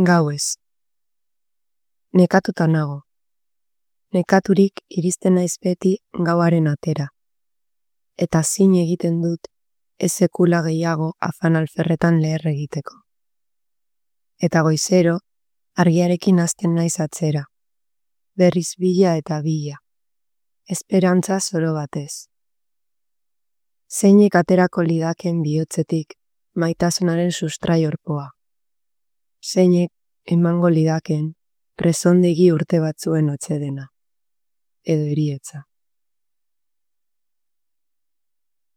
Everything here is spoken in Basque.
Gauez. Nekatuta nago. Nekaturik iristen naiz beti gauaren atera. Eta zin egiten dut ez sekula gehiago afan alferretan leher egiteko. Eta goizero, argiarekin hasten naiz atzera. Berriz bila eta bila. Esperantza zoro batez. Zeinek aterako lidaken bihotzetik maitasunaren sustraiorpoa. Zeinek emango lidaken presondegi urte batzuen otsedena. Edo heriotza.